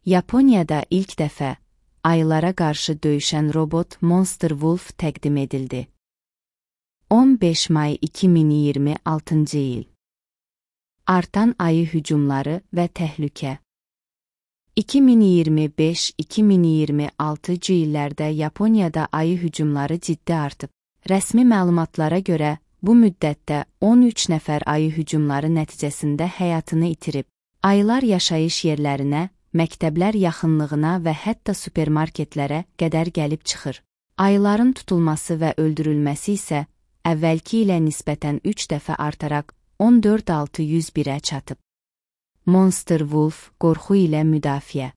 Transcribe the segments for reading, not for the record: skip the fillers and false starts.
Yaponiyada ilk dəfə ayılara qarşı döyüşən robot Monster Wolf təqdim edildi. 15 may 2026-cı il. Artan ayı hücumları və təhlükə. 2025-2026-cı illərdə Yaponiyada ayı hücumları ciddi artıb. Rəsmi məlumatlara görə, bu müddətdə 13 nəfər ayı hücumları nəticəsində həyatını itirib. Ayılar yaşayış yerlərinə, məktəblər yaxınlığına və hətta supermarketlərə qədər gəlib çıxır. Ayıların tutulması və öldürülməsi isə əvvəlki ilə nisbətən 3 dəfə artaraq 14601-ə çatıb. Monster Wolf qorxu ilə müdafiə.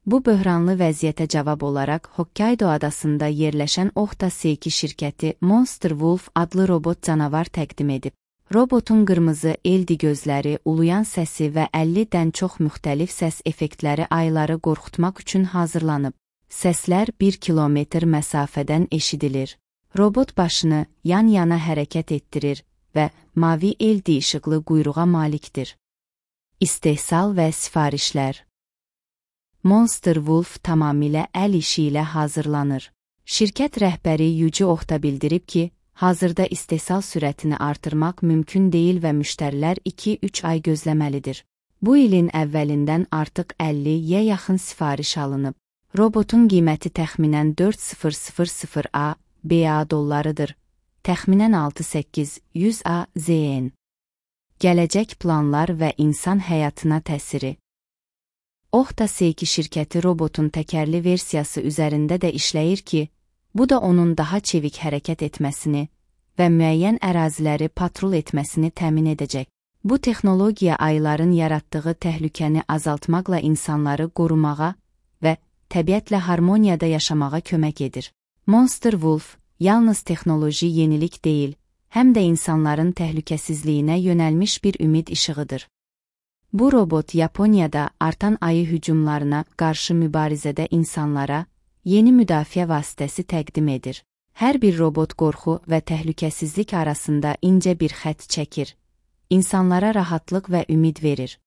Bu böhranlı vəziyyətə cavab olaraq Hokkaido adasında yerləşən Ohta Seiki şirkəti Monster Wolf adlı robot canavar təqdim edib. Robotun qırmızı eldi gözləri, uluyan səsi və 50-dən çox müxtəlif səs effektləri ayıları qorxutmaq üçün hazırlanıb. Səslər 1 kilometr məsafədən eşidilir. Robot başını yan-yana hərəkət etdirir və mavi eldi işıqlı quyruğa malikdir. İstehsal və sifarişlər. Monster Wolf tamamilə əl işi ilə hazırlanır. Şirkət rəhbəri Yuji Ohta bildirib ki, hazırda istehsal sürətini artırmaq mümkün deyil və müştərilər 2-3 ay gözləməlidir. Bu ilin əvvəlindən artıq 50-yə yaxın sifariş alınıb. Robotun qiyməti təxminən 4000 BA dollarıdır. Təxminən 6-800 AZN. Gələcək planlar və insan həyatına təsiri. Ohta Seiki şirkəti robotun təkərli versiyası üzərində də işləyir ki, bu da onun daha çevik hərəkət etməsini və müəyyən əraziləri patrul etməsini təmin edəcək. Bu texnologiya ayıların yaratdığı təhlükəni azaltmaqla insanları qorumağa və təbiətlə harmoniyada yaşamağa kömək edir. Monster Wolf yalnız texnoloji yenilik deyil, həm də insanların təhlükəsizliyinə yönəlmiş bir ümid işığıdır. Bu robot Yaponiyada artan ayı hücumlarına qarşı mübarizədə insanlara yeni müdafiə vasitəsi təqdim edir. Hər bir robot qorxu və təhlükəsizlik arasında incə bir xətt çəkir. İnsanlara rahatlıq və ümid verir.